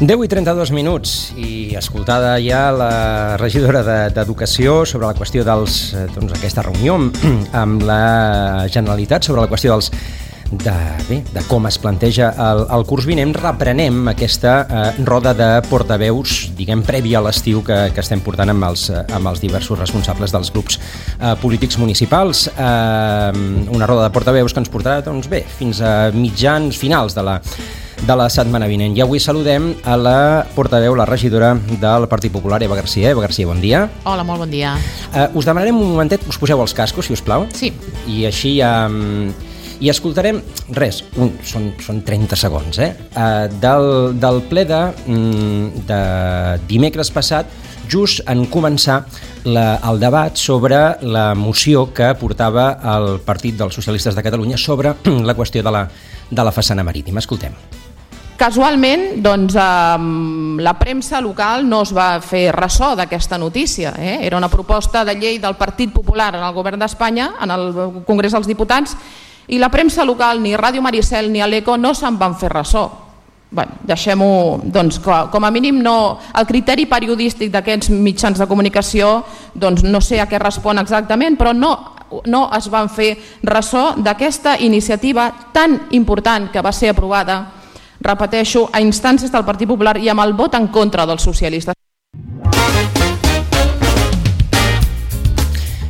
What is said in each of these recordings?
10:32 i escoltada ja la regidora d'Educació sobre la qüestió d'aquesta reunió amb la Generalitat sobre la qüestió de com es planteja el curs vinent, reprenem aquesta roda de portaveus, diguem, prèvia a l'estiu que estem portant amb els diversos responsables dels grups polítics municipals. Una roda de portaveus que ens portarà, fins a finals de la setmana vinent. I avui saludem a la portaveu, la regidora del Partit Popular, Eva García. Eva García, bon dia. Hola, molt bon dia. Us demanarem un momentet, us poseu els cascos, si us plau. Sí. I així i escoltarem, són 30 segons, del ple de dimecres passat, just en començar el debat sobre la moció que portava el Partit dels Socialistes de Catalunya sobre la qüestió de la façana marítima. Escoltem. Casualment, la premsa local no es va fer ressò d'aquesta notícia. Era una proposta de llei del Partit Popular en el govern d'Espanya, en el Congrés dels Diputats, i la premsa local, ni Ràdio Maricel ni l'Eco, no se'n van fer ressò. Deixem-ho, com a mínim el criteri periodístic d'aquests mitjans de comunicació, no sé a què respon exactament, però no es van fer ressò d'aquesta iniciativa tan important que va ser aprovada, repeteixo, a instàncies del Partit Popular i amb el vot en contra dels socialistes.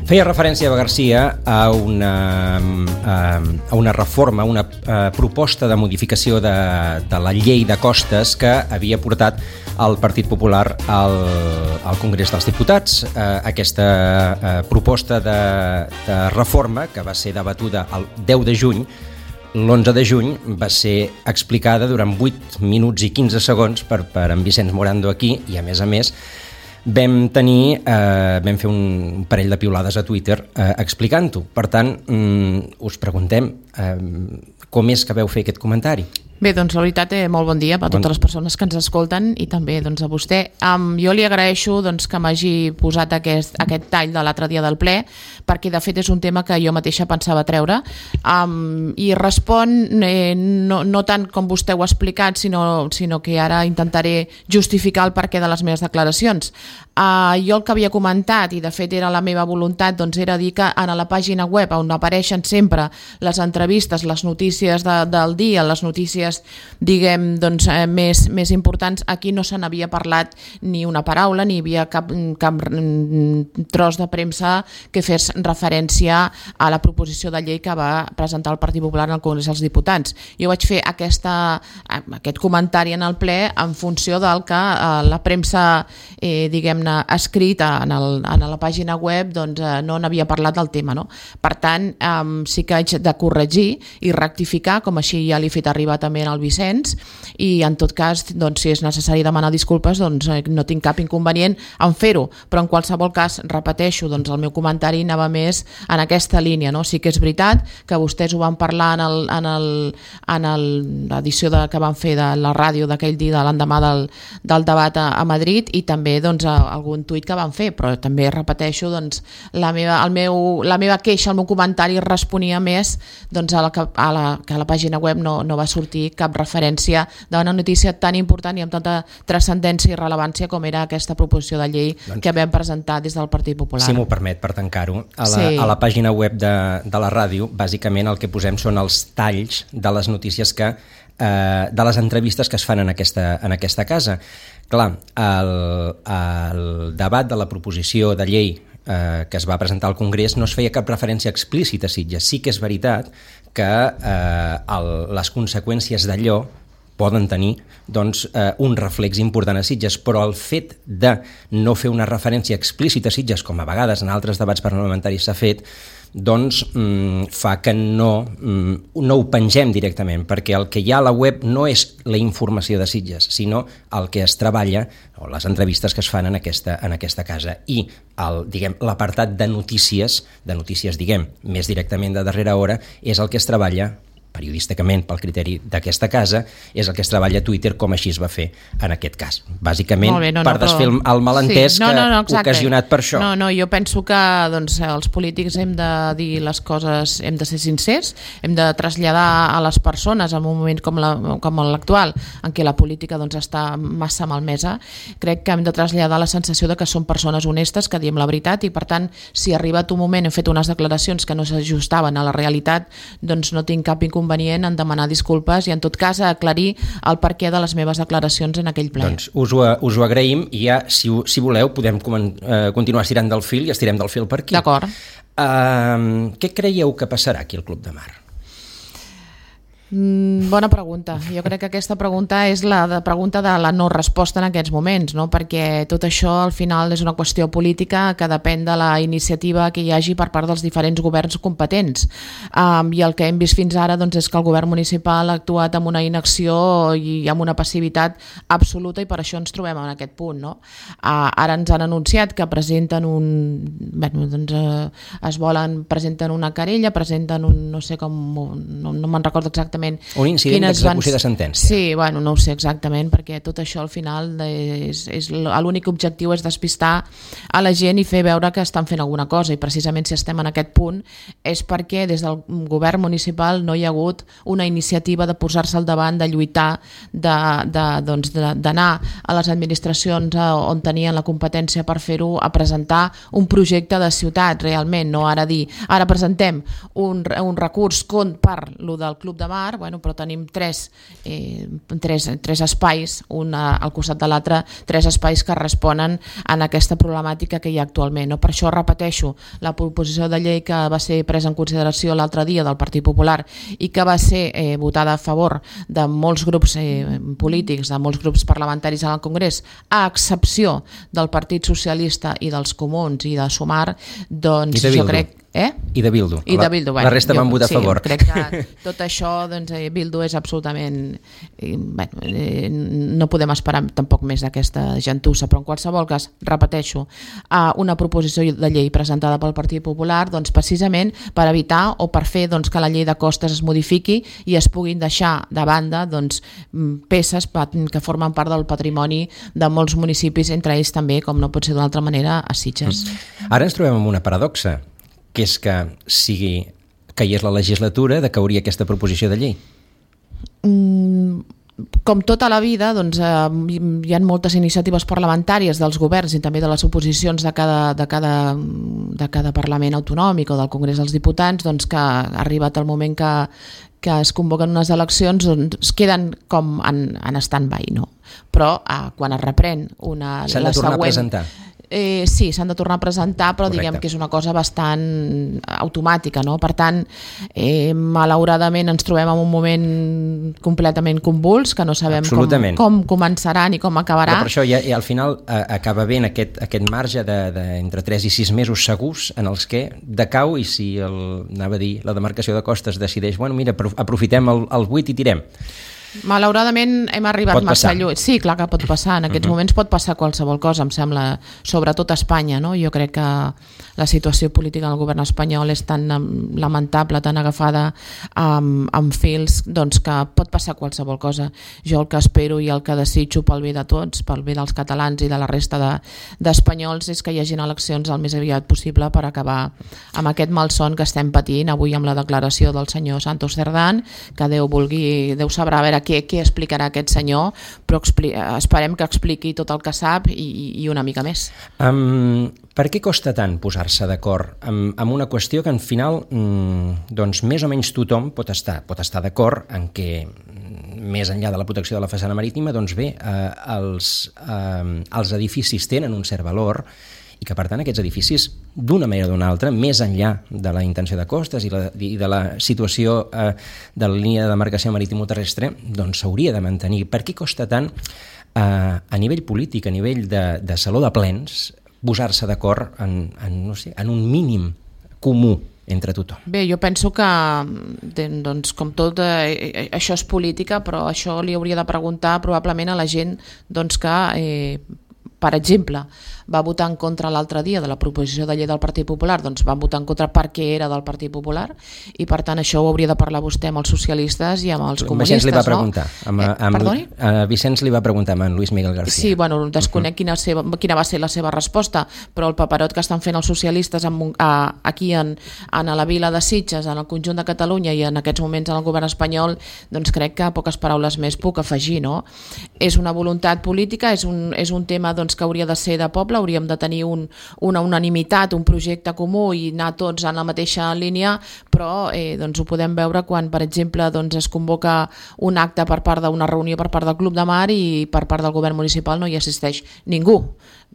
Feia referència, Eva García, a una reforma, una proposta de modificació de la llei de costes que havia portat el Partit Popular al Congrés dels Diputats. Aquesta proposta de reforma, que va ser debatuda el 10 de juny, l'11 de juny va ser explicada durant 8 minuts i 15 segons per en Vicenç Morando aquí, i a més vam fer un parell de piulades a Twitter explicant-ho. Per tant, us preguntem com és que vau fer aquest comentari. Bé, la veritat, molt bon dia a totes les persones que ens escolten i també a vostè. Jo li agraeixo que m'hagi posat aquest tall de l'altre dia del ple, perquè de fet és un tema que jo mateixa pensava treure, i respon no tant com vostè ho ha explicat, sinó que ara intentaré justificar el perquè de les meves declaracions. Jo el que havia comentat, i de fet era la meva voluntat, era dir que en la pàgina web on apareixen sempre les entrevistes, les notícies del dia, les notícies diguem més importants, aquí no se n'havia parlat ni una paraula, ni hi havia cap tros de premsa que fes referència a la proposició de llei que va presentar el Partit Popular al Congrés dels Diputats. Jo vaig fer aquest comentari en el ple en funció del que la premsa diguem-ne escrita en la pàgina web no n'havia parlat del tema. Per tant, sí que haig de corregir i rectificar, com així ja li he fet arribar també en el Vicenç, i en tot cas, si és necessari demanar disculpes, no tinc cap inconvenient en fer-ho, però en qualsevol cas, repeteixo, el meu comentari anava més en aquesta línia. Sí que és veritat que vostès ho van parlar en l'edició que van fer de la ràdio d'aquell dia, de l'endemà del debat a Madrid, i també algun tuit que van fer, però també repeteixo, la meva queixa, el meu comentari responia més que a la pàgina web no va sortir cap referència de una notícia tan important i amb tanta transcendència i rellevància com era aquesta proposició de llei que vam presentar des del Partit Popular. Si m'ho permet, per tancar-ho, a la pàgina web de la ràdio, bàsicament el que posem són els talls de les notícies de les entrevistes que es fan en aquesta casa. Clar, el debat de la proposició de llei que es va presentar al Congrés no es feia cap referència explícita a Sitges. Sí que és veritat que les conseqüències d'allò poden tenir un reflex important a Sitges, però el fet de no fer una referència explícita a Sitges, com a vegades en altres debats parlamentaris s'ha fet, fa que no ho pengem directament, perquè el que hi ha a la web no és la informació de Sitges, sinó el que es treballa, o les entrevistes que es fan en aquesta casa. I l'apartat de notícies, més directament de darrera hora, és el que es treballa periodísticament pel criteri d'aquesta casa, és el que es treballa a Twitter, com així es va fer en aquest cas. Bàsicament, per desfer el malentès ocasionat per això. No, jo penso que doncs, els polítics hem de dir les coses, hem de ser sincers, hem de traslladar a les persones en un moment com l'actual, en què la política doncs, està massa malmesa. Crec que hem de traslladar la sensació de que som persones honestes, que diem la veritat, i per tant, si ha arribat un moment, hem fet unes declaracions que no s'ajustaven a la realitat, doncs no tinc cap inconvenient en demanar disculpes i en tot cas aclarir el perquè de les meves declaracions en aquell ple. Doncs us ho agraïm i ja, si voleu, podem continuar estirant del fil i estirem del fil per aquí. D'acord. Què creieu que passarà aquí al Club de Mar? Bona pregunta. Jo crec que aquesta pregunta és la pregunta de la no resposta en aquests moments, no? Perquè tot això al final és una qüestió política que depèn de la iniciativa que hi hagi per part dels diferents governs competents, i el que hem vist fins ara doncs, és que el govern municipal ha actuat amb una inacció i amb una passivitat absoluta, i per això ens trobem en aquest punt, no? Ara ens han anunciat que presenten presenten una querella, presenten un, no sé com, no me'n recordo exactament. Un incident d'execució de sentència. Sí, bueno, no ho sé exactament, perquè tot això al final l'únic objectiu és despistar a la gent i fer veure que estan fent alguna cosa, i precisament si estem en aquest punt és perquè des del govern municipal no hi ha hagut una iniciativa de posar-se al davant, de lluitar, d'anar a les administracions on tenien la competència per fer-ho, a presentar un projecte de ciutat realment, no ara dir, ara presentem un recurs per lo del Club de Mar, però tenim tres espais, un al costat de l'altre, tres espais que responen a aquesta problemàtica que hi ha actualment. Per això repeteixo, la proposició de llei que va ser presa en consideració l'altre dia del Partit Popular i que va ser votada a favor de molts grups polítics, de molts grups parlamentaris al Congrés, a excepció del Partit Socialista i dels Comuns i de Sumar, doncs jo crec... I de Bildu. La resta van votar a favor. Crec que tot això, doncs, Bildu és absolutament... no podem esperar tampoc més d'aquesta gentussa, però en qualsevol cas, repeteixo, una proposició de llei presentada pel Partit Popular, doncs, precisament per evitar o per fer doncs, que la llei de costes es modifiqui i es puguin deixar de banda doncs, peces que formen part del patrimoni de molts municipis, entre ells també, com no pot ser d'una altra manera, a Sitges. Ara ens trobem amb una paradoxa, que és que sigui caigués la legislatura, decauria aquesta proposició de llei. Com tota la vida, doncs, hi ha moltes iniciatives parlamentàries dels governs i també de les oposicions de cada Parlament autonòmic o del Congrés dels Diputats, doncs, que ha arribat el moment que es convoquen unes eleccions, doncs queden com en stand-by, no? Però quan es reprèn s'han de tornar a presentar. Sí, s'han de tornar a presentar, però Correcte. diguem que és una cosa bastant automàtica, no? Per tant, malauradament ens trobem en un moment completament convuls, que no sabem com començarà ni com acabarà. Però per això ja al final acaba ben aquest marge d'entre 3 i 6 mesos segurs en els que decau, i si la demarcació de costes decideix, mira, aprofitem el 8 i tirem. Malauradament hem arribat massa lluny. Sí, clar que pot passar. En aquests moments pot passar qualsevol cosa, em sembla, sobretot a Espanya, no? Jo crec que la situació política del govern espanyol és tan lamentable, tan agafada amb fils, doncs que pot passar qualsevol cosa. Jo el que espero i el que desitjo pel bé de tots, pel bé dels catalans i de la resta d'espanyols, és que hi hagin eleccions el més aviat possible per acabar amb aquest malson que estem patint avui amb la declaració del senyor Santos Cerdán, que Déu sabrà a veure què explicarà aquest senyor, però esperem que expliqui tot el que sap i una mica més. Per què costa tant posar-se d'acord amb una qüestió que, al final, doncs, més o menys tothom pot estar d'acord en què, més enllà de la protecció de la façana marítima, doncs bé, els edificis tenen un cert valor i que, per tant, aquests edificis, d'una manera o d'una altra, més enllà de la intenció de costes i de la situació de la línia de demarcació marítimo-terrestre, doncs s'hauria de mantenir. Per què costa tant, a nivell polític, a nivell de saló de plens, posar-se d'acord en un mínim comú entre tothom? Bé, jo penso que, doncs, com tot, això és política, però això li hauria de preguntar probablement a la gent doncs, que, per exemple, va votar en contra l'altre dia de la proposició de llei del Partit Popular, doncs van votar en contra perquè era del Partit Popular, i per tant això ho hauria de parlar vostè amb els socialistes i amb els comunistes. Vicenç li va preguntar, perdoni? Vicenç li va preguntar amb en Luis Miguel García. Sí, bueno, desconec quina va ser la seva resposta, però el paperot que estan fent els socialistes aquí a la vila de Sitges, en el conjunt de Catalunya i en aquests moments en el govern espanyol, doncs crec que poques paraules més puc afegir, no? És una voluntat política, és un tema doncs, que hauria de ser de poble, hauríem de tenir una unanimitat, un projecte comú i anar tots en la mateixa línia, però doncs ho podem veure quan, per exemple, doncs es convoca un acte per part d'una reunió per part del Club de Mar i per part del govern municipal no hi assisteix ningú.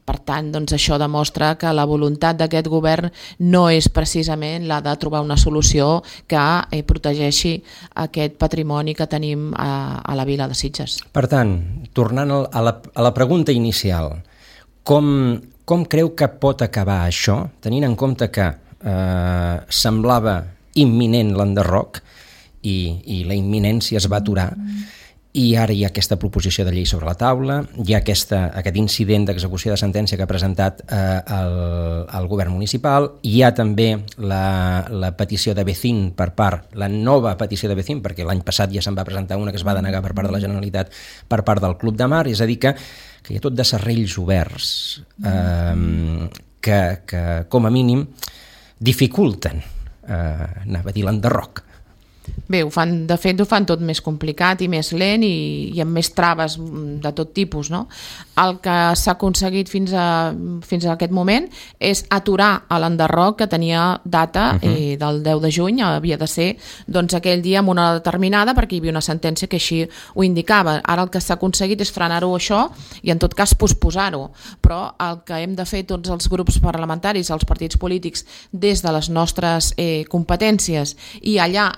Per tant, doncs això demostra que la voluntat d'aquest govern no és precisament la de trobar una solució que protegeixi aquest patrimoni que tenim a la vila de Sitges. Per tant, tornant a la pregunta inicial, com creu que pot acabar això, tenint en compte que semblava imminent l'enderroc i la imminència es va aturar, i ara hi ha aquesta proposició de llei sobre la taula, hi ha aquest incident d'execució de sentència que ha presentat el govern municipal, hi ha també la petició de Becín la nova petició de Becín, perquè l'any passat ja se'n va presentar una que es va denegar per part de la Generalitat per part del Club de Mar, és a dir que hi ha tot de serrells oberts que com a mínim dificulten, anava a dir l'enderroc. Bé, de fet ho fan tot més complicat i més lent i amb més traves de tot tipus, no? El que s'ha aconseguit fins a aquest moment és aturar l'enderroc que tenia data del 10 de juny, havia de ser doncs, aquell dia amb una hora determinada perquè hi havia una sentència que així ho indicava. Ara el que s'ha aconseguit és frenar-ho això i en tot cas posposar-ho, però el que hem de fer tots els grups parlamentaris, els partits polítics, des de les nostres competències i allà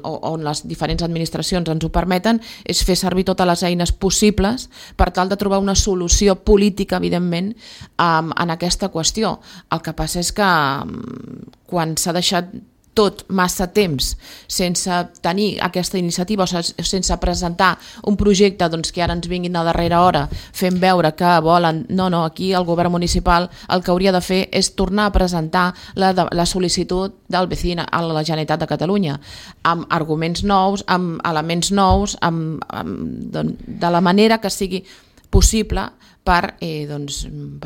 on les diferents administracions ens ho permeten, és fer servir totes les eines possibles per tal de trobar una solució política, evidentment, en aquesta qüestió. El que passa és que quan s'ha deixat tot massa temps sense tenir aquesta iniciativa, o sense presentar un projecte doncs, que ara ens vinguin a darrera hora fent veure que volen... No, aquí el govern municipal el que hauria de fer és tornar a presentar la sol·licitud del Becín a la Generalitat de Catalunya amb arguments nous, amb elements nous, de la manera que sigui possible per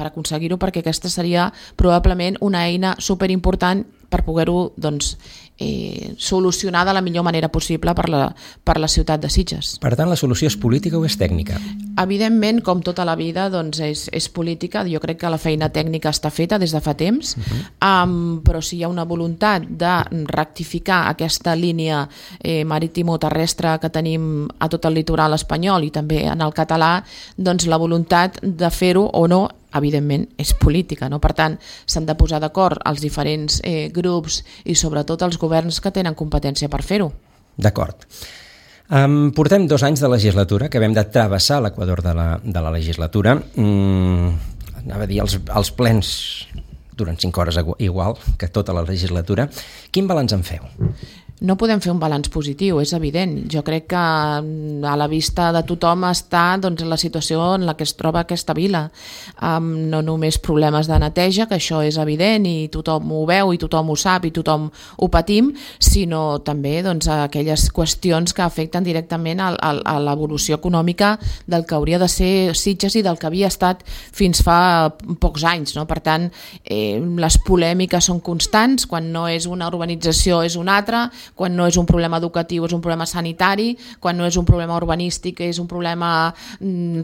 aconseguir-ho, perquè aquesta seria probablement una eina superimportant per poder-ho solucionar de la millor manera possible per la ciutat de Sitges. Per tant, la solució és política o és tècnica? Evidentment, com tota la vida, és política. Jo crec que la feina tècnica està feta des de fa temps, però si hi ha una voluntat de rectificar aquesta línia marítimo-terrestre que tenim a tot el litoral espanyol i també en el català, doncs la voluntat de fer-ho o no evidentment és política, no? Per tant, s'han de posar d'acord els diferents grups i sobretot els governs que tenen competència per fer-ho. D'acord. Portem 2 anys de legislatura, que vam de travessar l'equador de la legislatura. Anava a dir, els plens duren 5 hores igual que tota la legislatura. Quin balanç en feu? No podem fer un balanç positiu, és evident. Jo crec que a la vista de tothom està la situació en la que es troba aquesta vila. No només problemes de neteja, que això és evident i tothom ho veu i tothom ho sap i tothom ho patim, sinó també aquelles qüestions que afecten directament a l'evolució econòmica del que hauria de ser Sitges i del que havia estat fins fa pocs anys, no? Per tant, les polèmiques són constants, quan no és una urbanització és una altra, quan no és un problema educatiu és un problema sanitari, quan no és un problema urbanístic és un problema,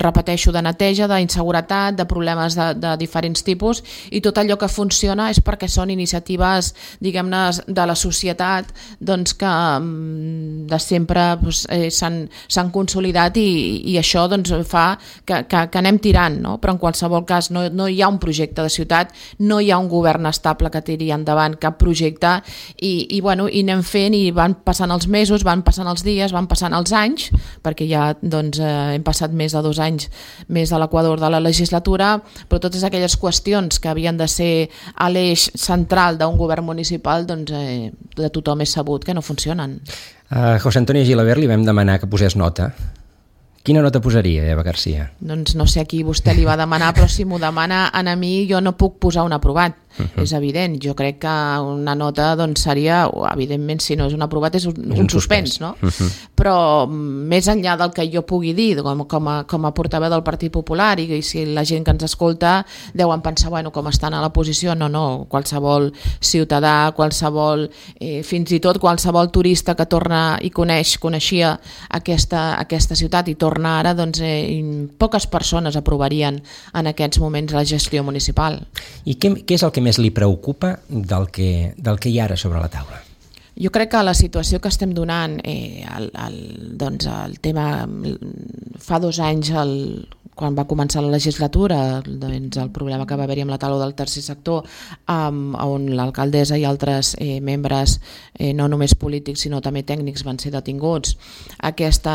repeteixo, de neteja, d'inseguretat, de problemes de diferents tipus, i tot allò que funciona és perquè són iniciatives, diguem-ne, de la societat que de sempre s'han consolidat i això fa que anem tirant, no? Però en qualsevol cas no hi ha un projecte de ciutat, no hi ha un govern estable que tiri endavant cap projecte i anem fent i van passant els mesos, van passant els dies, van passant els anys, perquè ja hem passat més de 2 anys més de l'equador de la legislatura, però totes aquelles qüestions que havien de ser a l'eix central d'un govern municipal de tothom és sabut que no funcionen. A José Antonio Gilabert li vam demanar que posés nota, Quina nota posaria, Eva Garcia? Doncs no sé a qui vostè li va demanar, però si m'ho demana a mi jo no puc posar un aprovat. És evident, jo crec que una nota doncs, seria, evidentment si no és un aprovat és un suspens, no? Però més enllà del que jo pugui dir com a portaveu del Partit Popular i si la gent que ens escolta deuen pensar, bueno, com estan a la posició, no, qualsevol ciutadà, qualsevol, fins i tot qualsevol turista que torna i coneixia aquesta ciutat i torna ara, doncs poques persones aprovarien en aquests moments la gestió municipal. I què és el que més li preocupa del que hi ha ara sobre la taula? Jo crec que la situació que estem donant, doncs el tema, fa 2 anys, quan va començar la legislatura, doncs el problema que va haver-hi amb la taula del tercer sector, on l'alcaldessa i altres membres, no només polítics sinó també tècnics, van ser detinguts. Aquest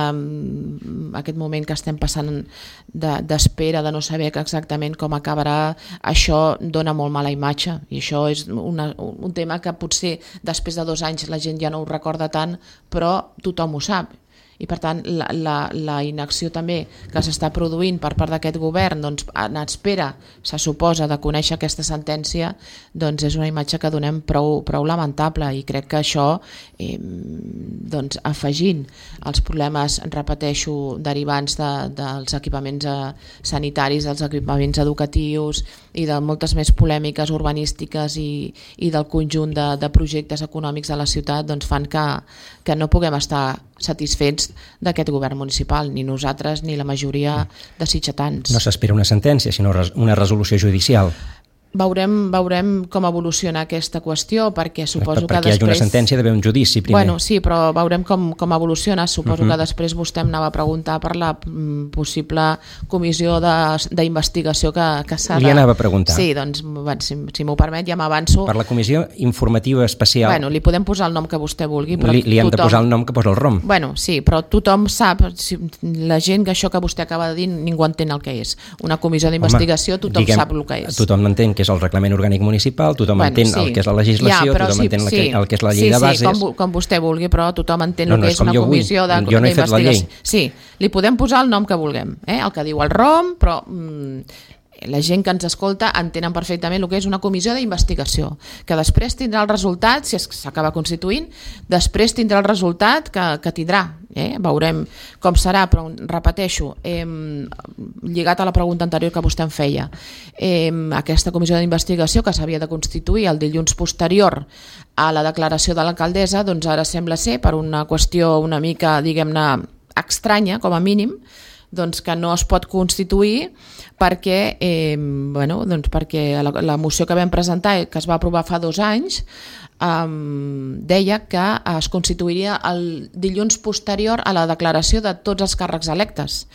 moment que estem passant d'espera, de no saber exactament com acabarà, això dona molt mala imatge, i això és un tema que potser després de 2 anys la gent ja no ho recorda tant, però tothom ho sap. I per tant la inacció també que s'està produint per part d'aquest govern, doncs en espera, se suposa, de conèixer aquesta sentència, doncs és una imatge que donem prou lamentable, i crec que això, doncs afegint els problemes, repeteixo, derivants dels equipaments sanitaris, dels equipaments educatius i de moltes més polèmiques urbanístiques i del conjunt de projectes econòmics de la ciutat, doncs fan que no puguem estar satisfets d'aquest govern municipal, ni nosaltres ni la majoria de sitgetans. No s'espera una sentència, sinó una resolució judicial. Veurem com evoluciona aquesta qüestió, perquè suposo que després... Perquè hi hagi una sentència, d'haver un judici primer. Bueno, sí, però veurem com evoluciona. Suposo que després vostè em anava a preguntar per la possible comissió d'investigació que s'ha de... Li anava a preguntar. Sí, doncs, si m'ho permet, ja m'avanço. Per la comissió informativa especial... Bueno, li podem posar el nom que vostè vulgui, però li hem de posar el nom que posa el ROM. Bueno, sí, però tothom sap, la gent que això que vostè acaba de dir, ningú entén el que és. Una comissió d'investigació, tothom sap el que és. Tothom entén que és el reglament orgànic municipal, tothom entén el que és la legislació, tothom entén el que és la llei de bases... Sí, com vostè vulgui, però tothom entén el que és una comissió d'investigació. Jo no he fet la llei. Sí, li podem posar el nom que vulguem, el que diu el ROM, però... la gent que ens escolta entenen perfectament el que és una comissió d'investigació, que després tindrà el resultat, si s'acaba constituint, després tindrà el resultat que tindrà. Veurem com serà, però repeteixo, lligat a la pregunta anterior que vostè em feia, aquesta comissió d'investigació que s'havia de constituir el dilluns posterior a la declaració de l'alcaldessa, doncs ara sembla ser, per una qüestió una mica, diguem-ne, estranya, com a mínim, doncs que no es pot constituir perquè, perquè la moció que vam presentar, que es va aprovar fa 2 anys, deia que es constituiria el dilluns posterior a la declaració de tots els càrrecs electes.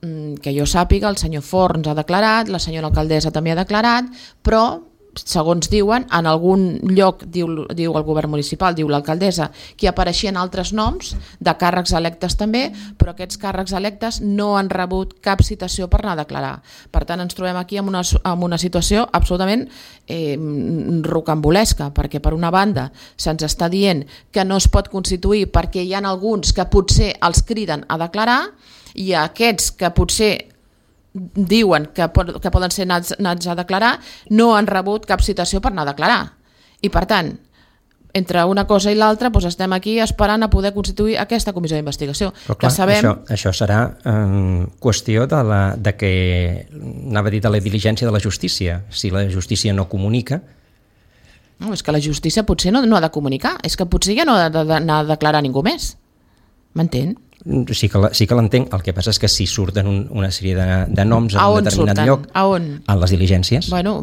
Que jo sàpiga, el senyor Forns ha declarat, la senyora alcaldessa també ha declarat, però segons diuen, en algun lloc diu el govern municipal, diu l'alcaldessa, que apareixien altres noms de càrrecs electes també, però aquests càrrecs electes no han rebut cap citació per anar a declarar. Per tant, ens trobem aquí en una situació absolutament rocambolesca, perquè per una banda se'ns està dient que no es pot constituir perquè hi ha alguns que potser els criden a declarar, i aquests que potser diuen que poden ser anats a declarar no han rebut cap citació per anar a declarar. I per tant, entre una cosa i l'altra, doncs estem aquí esperant a poder constituir aquesta comissió d'investigació. Però clar, això serà qüestió de que, anava a dir, de la diligència de la justícia. Si la justícia no comunica... No, és que la justícia potser no ha de comunicar, és que potser ja no ha d'anar a declarar ningú més. M'entén? Sí que l'entenc, el que passa és que si surten una sèrie de noms en un determinat lloc... A on? En les diligències. Bueno,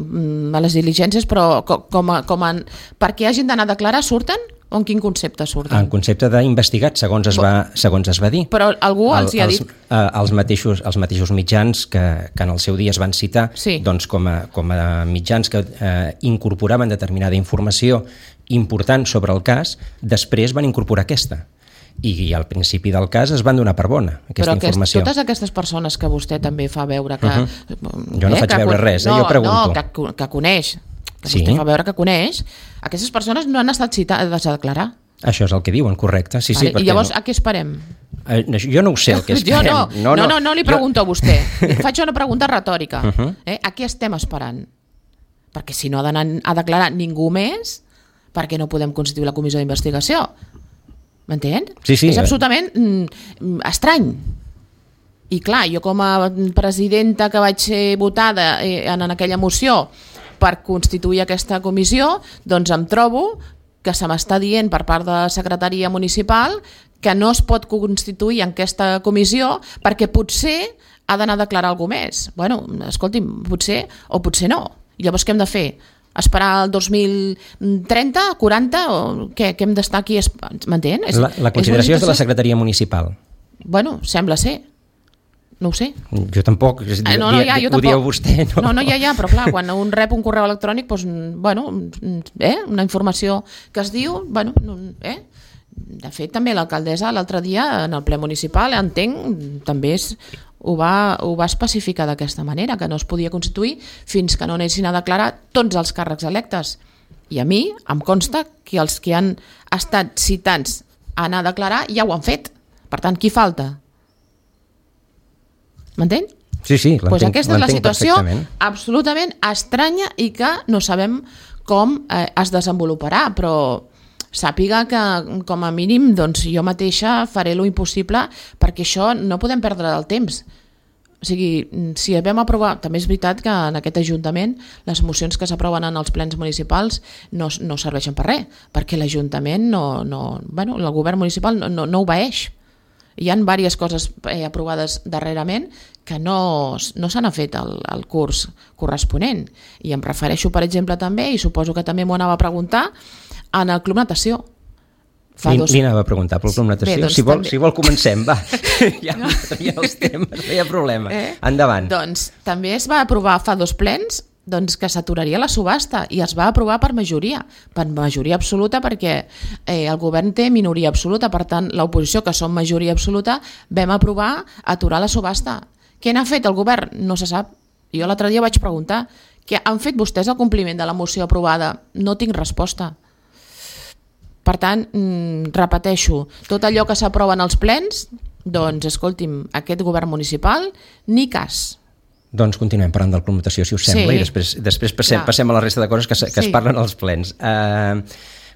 a les diligències, però perquè hagin d'anar a declarar surten? O en quin concepte surten? En concepte d'investigat, segons es va dir. Però algú els hi ha dit... Els mateixos mitjans que en el seu dia es van citar, doncs com a mitjans que incorporaven determinada informació important sobre el cas, després van incorporar aquesta. I al principi del cas es van donar per bona aquesta informació. Però totes aquestes persones que vostè també fa veure que... Jo no faig veure res, jo pregunto. Que coneix, que vostè fa veure que coneix, aquestes persones no han estat citades a declarar. Això és el que diuen, correcte. Sí, vale. Sí, I llavors, a què esperem? Jo no ho sé, el que esperem. No li pregunto a vostè. Faig una pregunta retòrica. A què estem esperant? Perquè si no ha d'anar a declarar ningú més, per què no podem constituir la comissió d'investigació? M'entén? Sí. És absolutament estrany. I clar, jo com a presidenta que vaig ser votada en aquella moció per constituir aquesta comissió, doncs em trobo que se m'està dient per part de la secretaria municipal que no es pot constituir en aquesta comissió perquè potser ha d'anar a declarar alguna més. Bueno, escolti'm, potser o potser no. I llavors què hem de fer? Esperar el 2030, 40 o què hem d'estar aquí? M'entén? La consideració és de la secretaria municipal. Bueno, sembla ser. No ho sé. Jo tampoc. Jo tampoc. Ho dieu vostè. No, però clar, quan un rep un correu electrònic, doncs, bueno, una informació que es diu, bueno, de fet també l'alcaldessa l'altre dia en el ple municipal, entenc, també ho va especificar d'aquesta manera, que no es podia constituir fins que no anessin a declarar tots els càrrecs electes. I a mi em consta que els que han estat citats a anar a declarar ja ho han fet. Per tant, qui falta? M'entén? Sí, l'entenc. Doncs aquesta és la situació absolutament estranya i que no sabem com es desenvoluparà, però sàpiga que com a mínim doncs, jo mateixa faré lo impossible perquè això no podem perdre el temps. O sigui, si vam aprovar, també és veritat que en aquest Ajuntament les mocions que s'aproven en els plens municipals no serveixen per res, perquè l'Ajuntament el govern municipal no obeeix. Hi ha diverses coses aprovades darrerament que no se n'ha fet el curs corresponent. I em refereixo, per exemple, també, i suposo que també m'ho anava a preguntar, en el Club Natació. Li anava a preguntar pel Club Natació. Bé, doncs, si vol comencem, va. Ja els temes, no hi ha problema. Endavant. Doncs també es va aprovar fa 2 plens que s'aturaria la subhasta i es va aprovar per majoria absoluta perquè el govern té minoria absoluta, per tant l'oposició, que som majoria absoluta, vam aprovar aturar la subhasta. Què n'ha fet el govern? No se sap. Jo l'altre dia vaig preguntar què han fet vostès al compliment de la moció aprovada? No tinc resposta. Per tant, repeteixo, tot allò que s'aprova en els plens, doncs escolti'm, aquest govern municipal, ni cas. Doncs continuem parlant del Club Natació, si us sembla, i després passem a la resta de coses que es parlen als plens.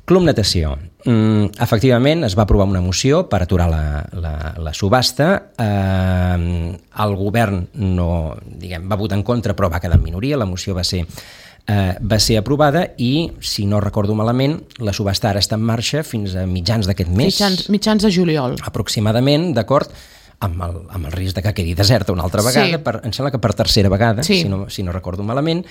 Club Natació. Efectivament, es va aprovar una moció per aturar la subhasta. El govern va votar en contra, però va quedar en minoria. La moció va ser aprovada i, si no recordo malament, la subhasta ara està en marxa fins a mitjans d'aquest mes. Mitjans de juliol. Aproximadament, d'acord, amb el risc de que quedi deserta una altra vegada, em sembla que per tercera vegada, si no recordo malament.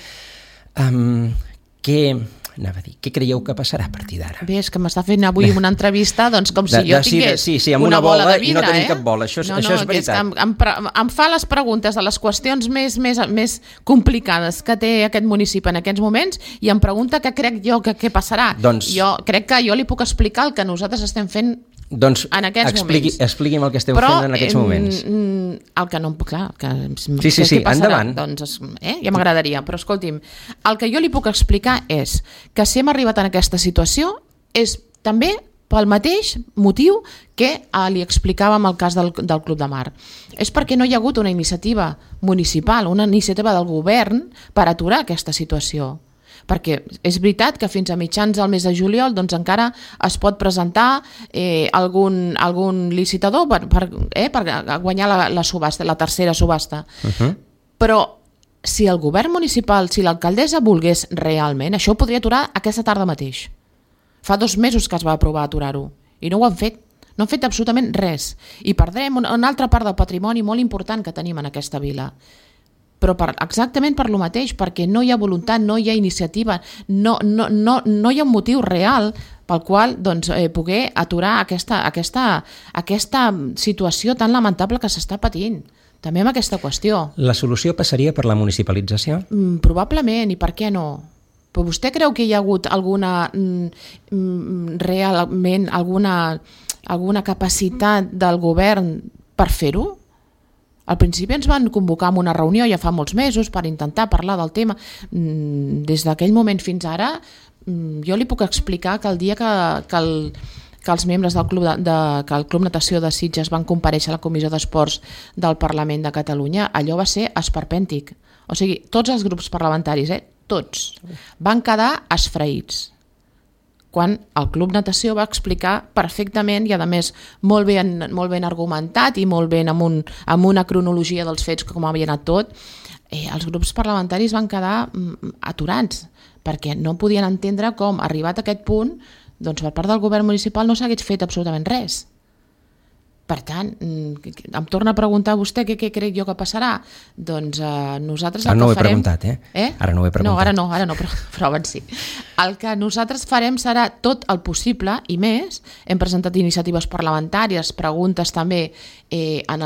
Què creieu que passarà a partir d'ara? Bé, és que m'està fent avui una entrevista com si jo tingués una bola de vidre. I no tenim cap bola, això és veritat. Em fa les preguntes de les qüestions més complicades que té aquest municipi en aquests moments i em pregunta què crec jo que passarà. Jo crec que jo li puc explicar el que nosaltres estem fent en aquests moments. Expliqui'm el que esteu fent en aquests moments. El que no... Clar, sí, endavant. Doncs, ja m'agradaria, però escolti'm, el que jo li puc explicar és que si hem arribat en aquesta situació és també pel mateix motiu que li explicàvem el cas del Club de Mar. És perquè no hi ha hagut una iniciativa municipal, una iniciativa del govern per aturar aquesta situació. Perquè és veritat que fins a mitjans del mes de juliol doncs encara es pot presentar algun licitador per guanyar la subhasta, la tercera subhasta. Però si el govern municipal, si l'alcaldessa volgués realment, això ho podria aturar aquesta tarda mateix. Fa 2 mesos que es va aprovar aturar-ho i no ho han fet. No han fet absolutament res. I perdrem una altra part del patrimoni molt important que tenim en aquesta vila. Però exactament per lo mateix, perquè no hi ha voluntat, no hi ha iniciativa, no hi ha un motiu real pel qual poder aturar aquesta situació tan lamentable que s'està patint. També amb aquesta qüestió. La solució passaria per la municipalització? Probablement, i per què no? Però vostè creu que hi ha hagut realment alguna capacitat del govern per fer-ho? Al principi ens van convocar a una reunió ja fa molts mesos per intentar parlar del tema. Des d'aquell moment fins ara, jo li puc explicar que el dia que que els membres del que el Club Natació de Sitges van comparèixer a la Comissió d'Esports del Parlament de Catalunya, allò va ser esperpèntic. O sigui, tots els grups parlamentaris, tots, van quedar esfraïts. Quan el Club Natació va explicar perfectament i a més molt ben argumentat i molt ben amb una cronologia dels fets com havia anat tot, els grups parlamentaris van quedar aturats perquè no podien entendre com, arribat a aquest punt, doncs per part del govern municipal no s'hagués fet absolutament res. Per tant, em torna a preguntar vostè què crec jo que passarà. Doncs nosaltres el que farem... Ara no ho he preguntat, Ara no ho he preguntat. No, ara no, però abans sí. El que nosaltres farem serà tot el possible i més. Hem presentat iniciatives parlamentàries, preguntes també en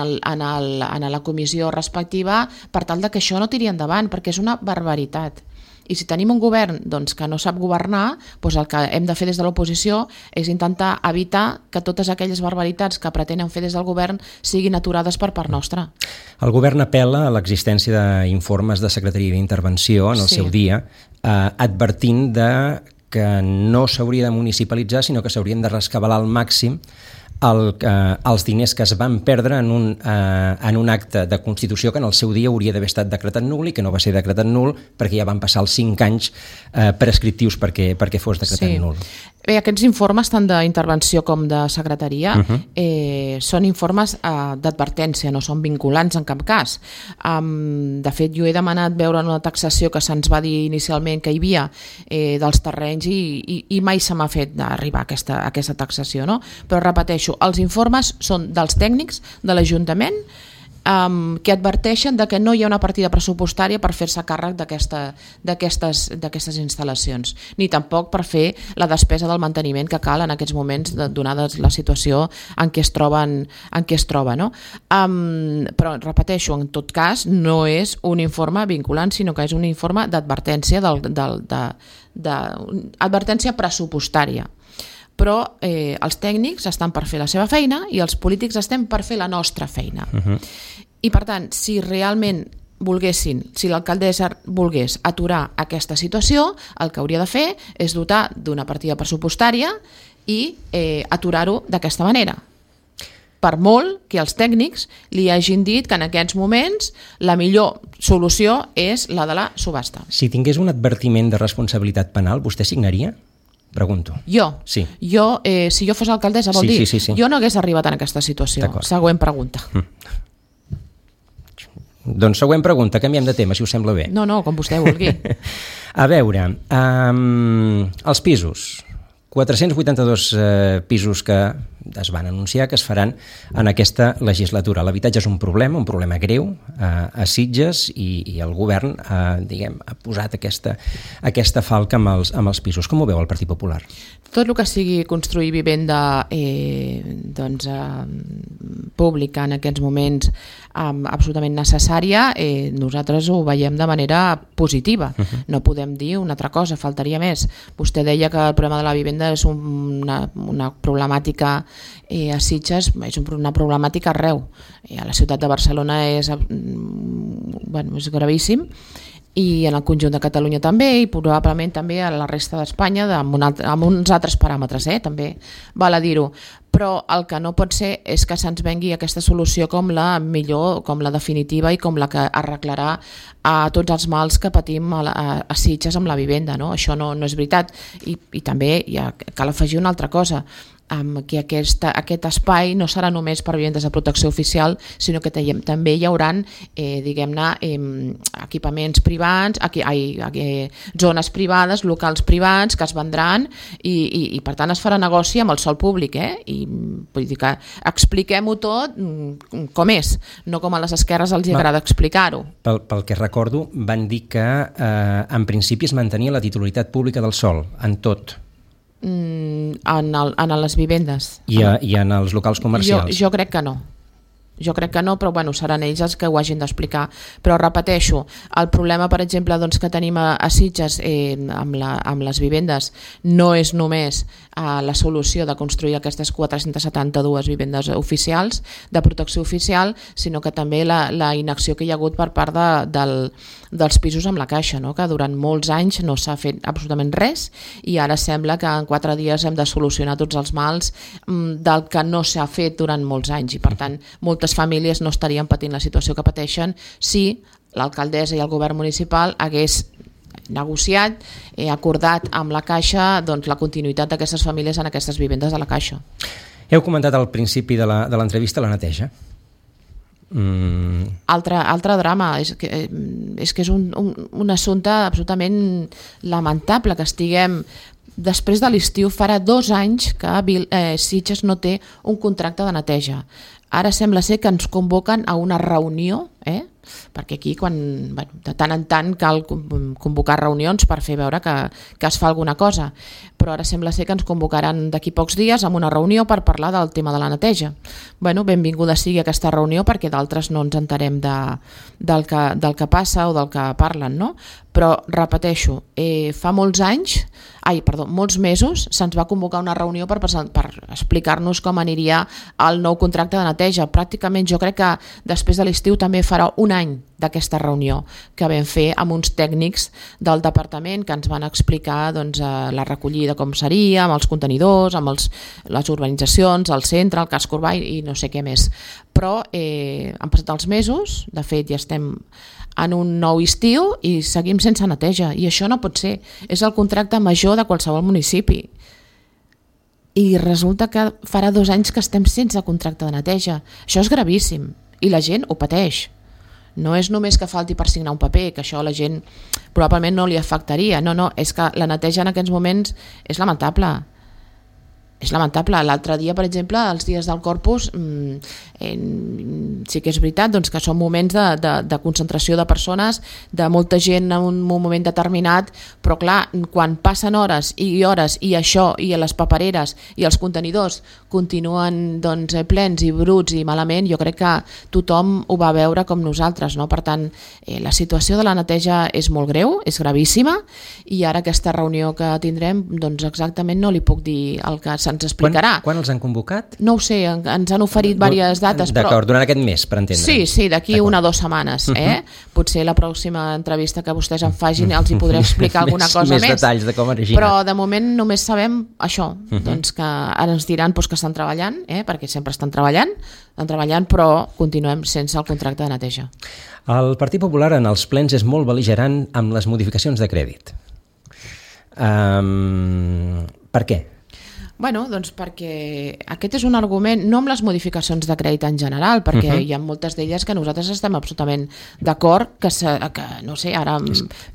la comissió respectiva per tal que això no tiri endavant, perquè és una barbaritat. I si tenim un govern que no sap governar, doncs el que hem de fer des de l'oposició és intentar evitar que totes aquelles barbaritats que pretenen fer des del govern siguin aturades per part nostra. El govern apel·la a l'existència d'informes de Secretaria d'Intervenció en el seu dia, advertint que no s'hauria de municipalitzar, sinó que s'haurien de rescabalar al màxim els diners que es van perdre en un acte de Constitució que en el seu dia hauria d'haver estat decretat nul i que no va ser decretat nul perquè ja van passar els 5 anys prescriptius perquè fos decretat nul. Bé, aquests informes, tant d'intervenció com de secretaria, són informes d'advertència, no són vinculants en cap cas. De fet, jo he demanat veure una taxació que se'ns va dir inicialment que hi havia dels terrenys i mai se m'ha fet arribar a aquesta taxació, no? Però repeteixo, els informes són dels tècnics de l'Ajuntament que adverteixen que no hi ha una partida pressupostària per fer-se càrrec d'aquestes instal·lacions, ni tampoc per fer la despesa del manteniment que cal en aquests moments, donada la situació en què es troba. No? Però, repeteixo, en tot cas, no és un informe vinculant, sinó que és un informe d'advertència, d'advertència pressupostària. Però els tècnics estan per fer la seva feina i els polítics estem per fer la nostra feina. I per tant, si realment si l'alcaldessa volgués aturar aquesta situació, el que hauria de fer és dotar d'una partida pressupostària i aturar-ho d'aquesta manera. Per molt que els tècnics li hagin dit que en aquests moments la millor solució és la de la subhasta. Si tingués un advertiment de responsabilitat penal, vostè signaria? Pregunto. Jo? Sí. Si jo fos alcaldessa, vol dir? Sí. Jo no hagués arribat en aquesta situació. Següent pregunta. Doncs següent pregunta, canviem de tema, si us sembla bé. No, com vostè vulgui. A veure, els pisos. 482 pisos que es van anunciar que es faran en aquesta legislatura. L'habitatge és un problema greu a Sitges i el govern ha posat aquesta falca amb els pisos. Com ho veu el Partit Popular? Tot el que sigui construir vivenda pública en aquests moments absolutament necessària, nosaltres ho veiem de manera positiva. No podem dir una altra cosa, faltaria més. Vostè deia que el problema de la vivenda és una problemàtica a Sitges, és una problemàtica arreu. A la ciutat de Barcelona és gravíssim, i en el conjunt de Catalunya també, i probablement també a la resta d'Espanya amb uns altres paràmetres, també val a dir-ho. Però el que no pot ser és que se'ns vengui aquesta solució com la millor, com la definitiva i com la que arreglarà a tots els mals que patim a Sitges amb la vivenda. Això no és veritat. I també cal afegir una altra cosa, que aquest espai no serà només per vivendes de protecció oficial, sinó que també hi haurà equipaments privats, zones privades, locals privats que es vendran i per tant es farà negoci amb el sòl públic, i vull dir que expliquem-ho tot com és, no com a les esquerres els agrada explicar-ho. Pel que recordo van dir que en principi es mantenia la titularitat pública del sòl en tot. En les vivendes. I en els locals comercials? Jo crec que no. jo crec que no, però bueno, seran ells els que ho hagin d'explicar. Però repeteixo, el problema, per exemple, doncs, que tenim a Sitges amb les vivendes no és només la solució de construir aquestes 472 vivendes oficials, de protecció oficial, sinó que també la inacció que hi ha hagut per part dels pisos amb la Caixa, no? Que durant molts anys no s'ha fet absolutament res i ara sembla que en 4 dies hem de solucionar tots els mals del que no s'ha fet durant molts anys, i per tant moltes famílies no estarien patint la situació que pateixen si l'alcaldessa i el govern municipal hagués negociat, acordat amb la Caixa doncs, la continuïtat d'aquestes famílies en aquestes vivendes de la Caixa. Heu comentat al principi de l'entrevista la neteja. Altre drama, és que és un assumpte absolutament lamentable que estiguem. Després de l'estiu farà 2 anys que Sitges no té un contracte de neteja. Ara sembla ser que ens convoquen a una reunió, perquè aquí de tant en tant cal convocar reunions per fer veure que es fa alguna cosa, però ara sembla ser que ens convocaran d'aquí pocs dies amb una reunió per parlar del tema de la neteja. Benvinguda sigui aquesta reunió perquè d'altres no ens enterem del que passa o del que parlen, no? Però repeteixo, fa molts mesos se'ns va convocar una reunió per explicar-nos com aniria el nou contracte de neteja. Pràcticament jo crec que després de l'estiu també farà un any d'aquesta reunió que vam fer amb uns tècnics del departament que ens van explicar la recollida com seria, amb els contenidors, amb les urbanitzacions, el centre, el casc urbà i no sé què més. Però han passat els mesos, de fet ja estem en un nou estiu i seguim sense neteja, i això no pot ser. És el contracte major de qualsevol municipi i resulta que farà 2 anys que estem sense contracte de neteja. Això és gravíssim i la gent ho pateix. No és només que falti per signar un paper, que això a la gent probablement no li afectaria, no, és que la neteja en aquests moments és lamentable. És lamentable. L'altre dia, per exemple, els dies del Corpus, sí que és veritat que són moments de concentració de persones, de molta gent en un moment determinat, però clar, quan passen hores i això, i les papereres i els contenidors continuen plens i bruts i malament, jo crec que tothom ho va veure com nosaltres, no? Per tant, la situació de la neteja és molt greu, és gravíssima, i ara aquesta reunió que tindrem, exactament no li puc dir el que se'ns explicarà. Quan els han convocat? No ho sé, ens han oferit diverses dates. D'acord, durant aquest mes, per entendre. Sí, d'aquí 1 o 2 setmanes. Potser la pròxima entrevista que vostès em facin els hi podré explicar alguna cosa més. Més detalls de com ha originat. Però de moment només sabem això, que ara ens diran que estan treballant, perquè sempre estan treballant, però continuem sense el contracte de neteja. El Partit Popular en els plens és molt bel·ligerant amb les modificacions de crèdit. Per què? Perquè aquest és un argument, no amb les modificacions de crèdit en general, perquè hi ha moltes d'elles que nosaltres estem absolutament d'acord, que no sé, ara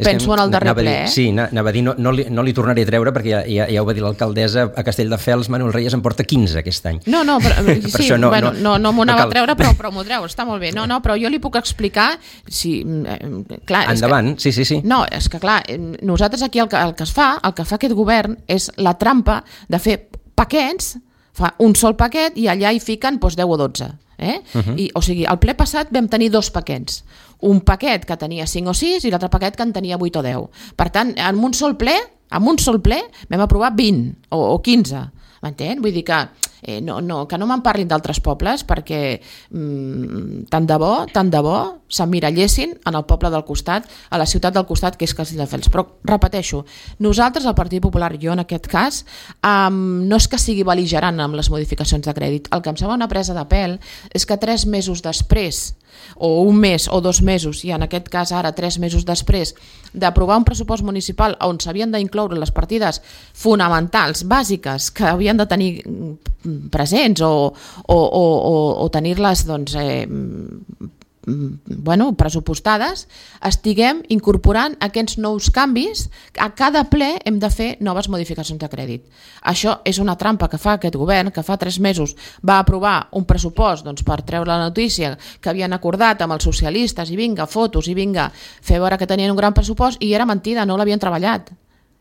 penso en el darrer ple. Sí, anava a dir, no li tornaré a treure, perquè ja ho va dir l'alcaldessa a Castelldefels, Manuel Reyes en porta 15 aquest any. No, sí, no m'ho anava a treure, però m'ho treu, està molt bé. No, però jo li puc explicar, endavant, sí. No, és que clar, nosaltres aquí el que fa aquest govern és la trampa de fer paquets, fa un sol paquet i allà hi fiquen 10 o 12. O sigui, al ple passat vam tenir 2 paquets. Un paquet que tenia 5 o 6 i l'altre paquet que en tenia 8 o 10. Per tant, en un sol ple vam aprovar 20 o 15. M'entén? Vull dir que no me'n parlin d'altres pobles, perquè tant de bo s'emmirallessin en el poble del costat, a la ciutat del costat, que és Castelldefels. Però repeteixo, nosaltres, el Partit Popular, jo en aquest cas, no és que sigui bel·ligerant amb les modificacions de crèdit. El que em sembla una presa de pèl és que 3 mesos després, o 1 mes o 2 mesos, i en aquest cas ara 3 mesos després d'aprovar un pressupost municipal on s'havien d'incloure les partides fonamentals, bàsiques, que havien de tenir presents o tenir-les pressupostades, estiguem incorporant aquests nous canvis. A cada ple hem de fer noves modificacions de crèdit. Això és una trampa que fa aquest govern, que fa 3 mesos va aprovar un pressupost per treure la notícia que havien acordat amb els socialistes, i vinga, fotos, i vinga, fer veure que tenien un gran pressupost, i era mentida, no l'havien treballat.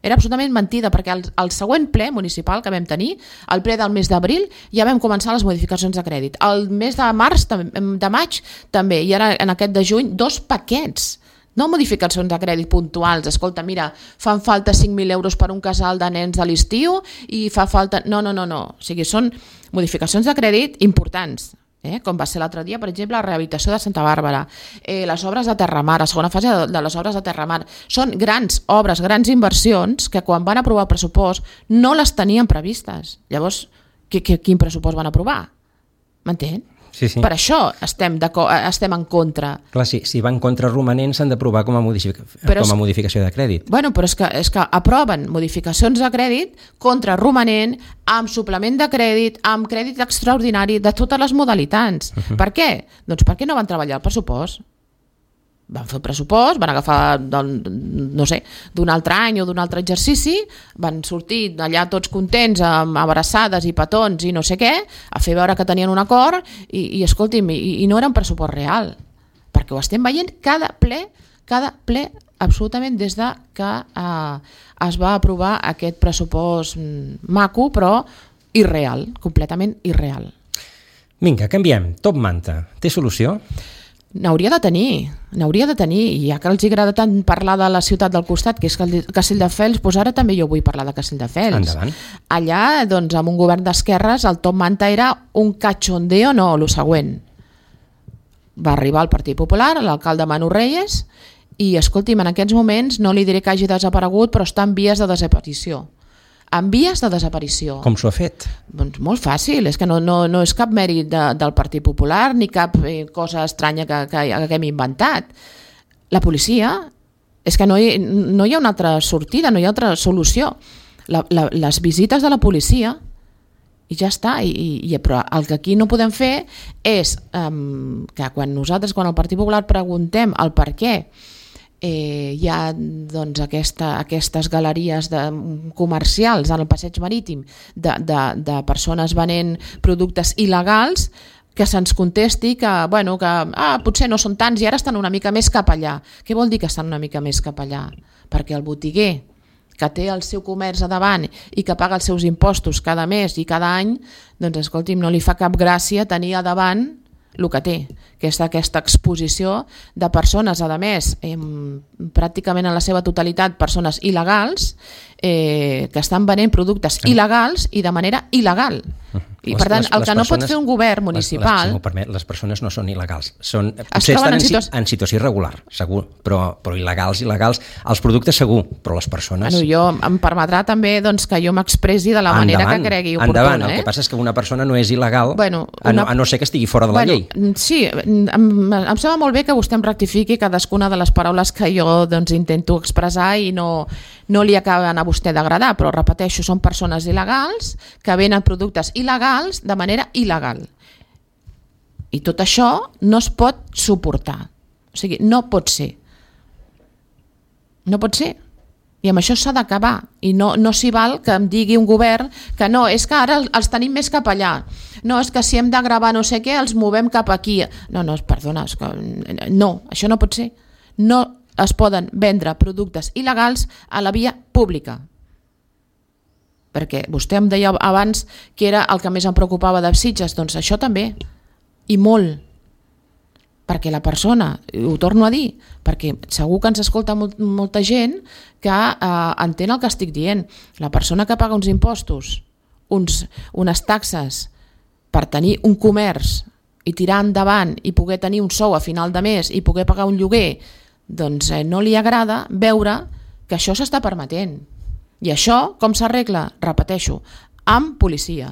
Era absolutament mentida, perquè el següent ple municipal que vam tenir, el ple del mes d'abril, ja vam començar les modificacions de crèdit. El mes de març, de maig, també, i ara en aquest de juny, 2 paquets. No modificacions de crèdit puntuals. Escolta, mira, fan falta 5.000 euros per un casal de nens de l'estiu i fa falta... No. O sigui, són modificacions de crèdit importants. Com va ser l'altre dia, per exemple, la rehabilitació de Santa Bàrbara, les obres de Terramar, la segona fase de les obres de Terramar. Són grans obres, grans inversions que quan van aprovar el pressupost no les tenien previstes. Llavors, quin pressupost van aprovar? M'entén? Sí. Per això estem en contra. Clar, si van contra romanents s'han d'aprovar com a modificació de crèdit. Bueno, però és que aproven modificacions de crèdit contra romanent, amb suplement de crèdit, amb crèdit extraordinari, de totes les modalitats. Per què? Doncs perquè no van treballar el pressupost. Van fer el pressupost, van agafar d'un altre any o d'un altre exercici, van sortir allà tots contents amb abraçades i petons i no sé què, a fer veure que tenien un acord i escolti'm, i no era un pressupost real, perquè ho estem veient cada ple absolutament des de que es va aprovar aquest pressupost maco però irreal, completament irreal. Vinga, canviem. Top Manta, té solució? N'hauria de tenir, i ja que els agrada tant parlar de la ciutat del costat, que és Castelldefels, doncs ara també jo vull parlar de Castelldefels. Endavant. Allà, doncs, amb un govern d'esquerres, el top manta era un cachondeo, no, el següent. Va arribar el Partit Popular, l'alcalde Manu Reyes, i, escolti'm, en aquests moments no li diré que hagi desaparegut, però està en vies de desaparició. En vies de desaparició. Com s'ho ha fet? Doncs molt fàcil, és que no és cap mèrit del Partit Popular ni cap cosa estranya que hem inventat. La policia, és que no hi ha una altra sortida, no hi ha altra solució. Les visites de la policia i ja està, però el que aquí no podem fer és que quan el Partit Popular preguntem el per què hi ha doncs, aquestes galeries comercials en el passeig marítim de persones venent productes il·legals, que se'ns contesti que potser no són tants i ara estan una mica més cap allà. Què vol dir que estan una mica més cap allà? Perquè el botiguer que té el seu comerç a davant i que paga els seus impostos cada mes i cada any, doncs escolti'm, no li fa cap gràcia tenir a davant el que té, que és aquesta exposició de persones, a més, pràcticament en la seva totalitat persones il·legals, que estan venent productes il·legals i de manera il·legal. I per tant, el que no pot fer un govern municipal... Si m'ho permet, les persones no són il·legals. Potser estan en situació irregular, segur, però il·legals, els productes segur, però les persones... Jo em permetrà també que jo m'expressi de la manera que cregui oportuna. Endavant, el que passa és que una persona no és il·legal a no ser que estigui fora de la llei. Sí, em sembla molt bé que vostè em rectifiqui cadascuna de les paraules que jo intento expressar i no li acaben a vostè d'agradar, però repeteixo, són persones il·legals que venen productes il·legals de manera il·legal. I tot això no es pot suportar. O sigui, no pot ser. No pot ser. I amb això s'ha d'acabar. I no s'hi val que em digui un govern que no, és que ara els tenim més cap allà. No, és que si hem de gravar no sé què, els movem cap aquí. No, perdona, és que no, això no pot ser. No es poden vendre productes il·legals a la via pública. Perquè vostè em deia abans que era el que més em preocupava de Sitges, doncs això també, i molt. Perquè la persona, ho torno a dir, perquè segur que ens escolta molta gent que entén el que estic dient. La persona que paga uns impostos, unes taxes per tenir un comerç i tirar endavant i poder tenir un sou a final de mes i poder pagar un lloguer, doncs no li agrada veure que això s'està permetent. I això com s'arregla? Repeteixo, amb policia,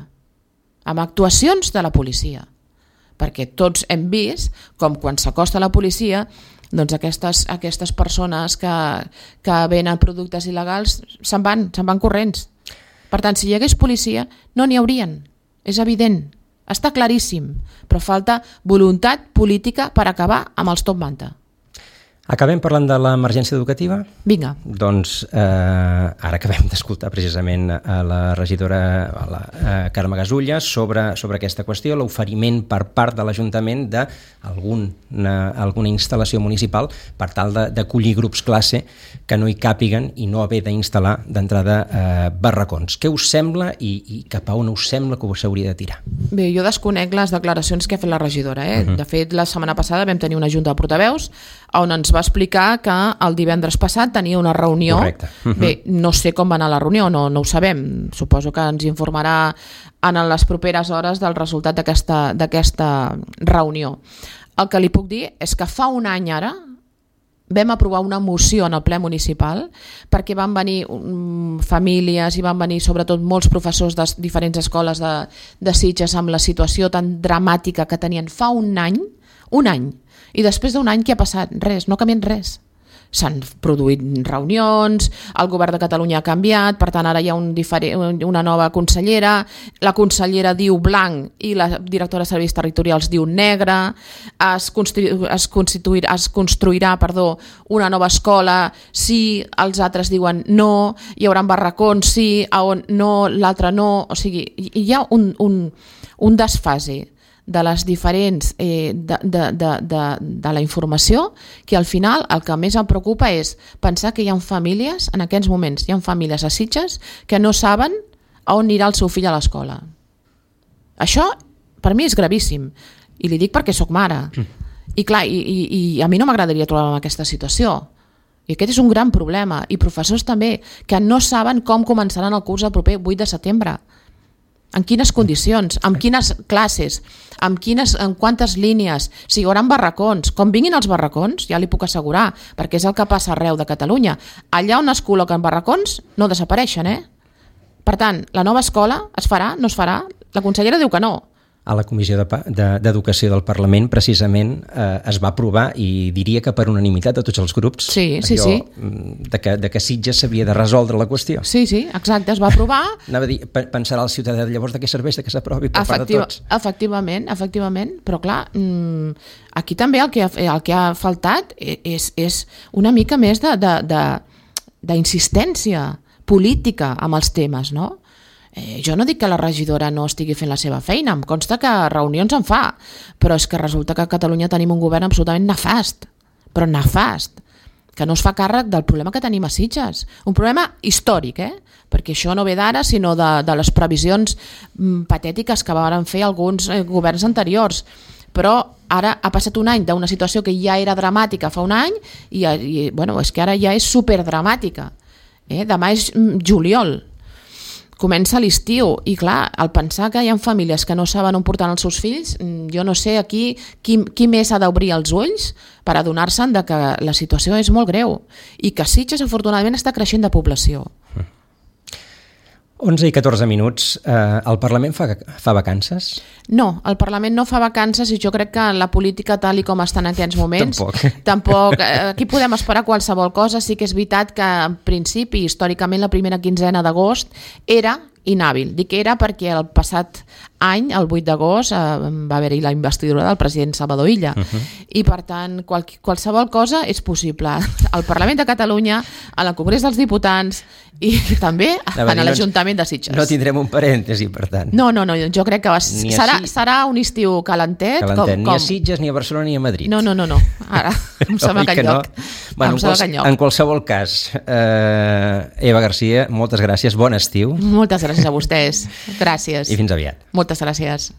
amb actuacions de la policia. Perquè tots hem vist com quan s'acosta la policia, doncs aquestes persones que venen productes il·legals se'n van corrents. Per tant, si hi hagués policia, no n'hi haurien. És evident, està claríssim, però falta voluntat política per acabar amb els top manta. Acabem parlant de l'emergència educativa? Vinga. Doncs ara acabem d'escoltar precisament a la regidora Carme Gasulla sobre aquesta qüestió, l'oferiment per part de l'Ajuntament d'alguna instal·lació municipal per tal d'acollir grups classe que no hi càpiguen i no haver d'instal·lar d'entrada barracons. Què us sembla i cap a on us sembla que s'hauria de tirar? Bé, jo desconec les declaracions que ha fet la regidora. De fet, la setmana passada vam tenir una junta de portaveus on ens va explicar que el divendres passat tenia una reunió. Correcte. Bé, no sé com va anar la reunió, no ho sabem. Suposo que ens informarà en les properes hores del resultat d'aquesta reunió. El que li puc dir és que fa un any ara vam aprovar una moció en el ple municipal perquè van venir famílies i van venir sobretot molts professors de diferents escoles de Sitges amb la situació tan dramàtica que tenien fa un any, i després d'un any què ha passat? Res, no ha canviat res. S'han produït reunions, el govern de Catalunya ha canviat, per tant ara hi ha una nova consellera, la consellera diu blanc i la directora de serveis territorials diu negre, es construirà una nova escola, sí, els altres diuen no, hi haurà barracons, sí, on no, l'altre no, o sigui, hi ha un desfase de les diferents de la informació que al final el que més em preocupa és pensar que hi ha famílies, en aquests moments hi ha famílies a Sitges que no saben on anirà el seu fill a l'escola. Això per mi és gravíssim i li dic perquè sóc mare i clar, i a mi no m'agradaria trobar-me en aquesta situació i aquest és un gran problema i professors també que no saben com començaran el curs el proper 8 de setembre. En quines condicions, amb quines classes, en quantes línies, si hi haurà barracons, com vinguin els barracons, ja li puc assegurar, perquè és el que passa arreu de Catalunya. Allà on es col·loquen barracons no desapareixen, Per tant, la nova escola es farà, no es farà? La consellera diu que no. A la Comissió d'Educació del Parlament precisament es va aprovar i diria que per unanimitat de tots els grups de que Sitges s'havia de resoldre la qüestió. Sí, exacte, es va aprovar. Anava a dir, pensarà el ciutadà llavors de què serveix que s'aprovi per part de tots. Efectivament, però clar, aquí també el que ha faltat és una mica més d'insistència política amb els temes, no? Jo no dic que la regidora no estigui fent la seva feina, em consta que reunions en fa, però és que resulta que a Catalunya tenim un govern absolutament nefast, però nefast, que no es fa càrrec del problema que tenim a Sitges. Un problema històric, perquè això no ve d'ara, sinó de les previsions patètiques que van fer alguns governs anteriors. Però ara ha passat un any d'una situació que ja era dramàtica fa un any i és que ara ja és superdramàtica. Demà és juliol. Comença l'estiu i clar, al pensar que hi ha famílies que no saben on portar els seus fills, jo no sé aquí qui més ha d'obrir els ulls per adonar-se'n que la situació és molt greu i que Sitges afortunadament està creixent de població. 11 i 14 minuts. El Parlament fa vacances? No, el Parlament no fa vacances i jo crec que la política tal i com està en aquests moments tampoc. Aquí podem esperar qualsevol cosa. Sí que és veritat que en principi, històricament, la primera quinzena d'agost era inhàbil. Dic era perquè el passat any, el 8 d'agost, va haver-hi la investidura del president Salvador Illa. I per tant, qualsevol cosa és possible. Al Parlament de Catalunya, al Congrés dels Diputats i també en l'Ajuntament de Sitges. No tindrem un parèntesi, per tant. No, jo crec que serà un estiu calentet. Ni a Sitges, ni a Barcelona, ni a Madrid. No. Ara em sembla que enlloc. En qualsevol cas, Eva Garcia, moltes gràcies, bon estiu. Moltes gràcies a vostès. Gràcies. I fins aviat. Moltes gràcies.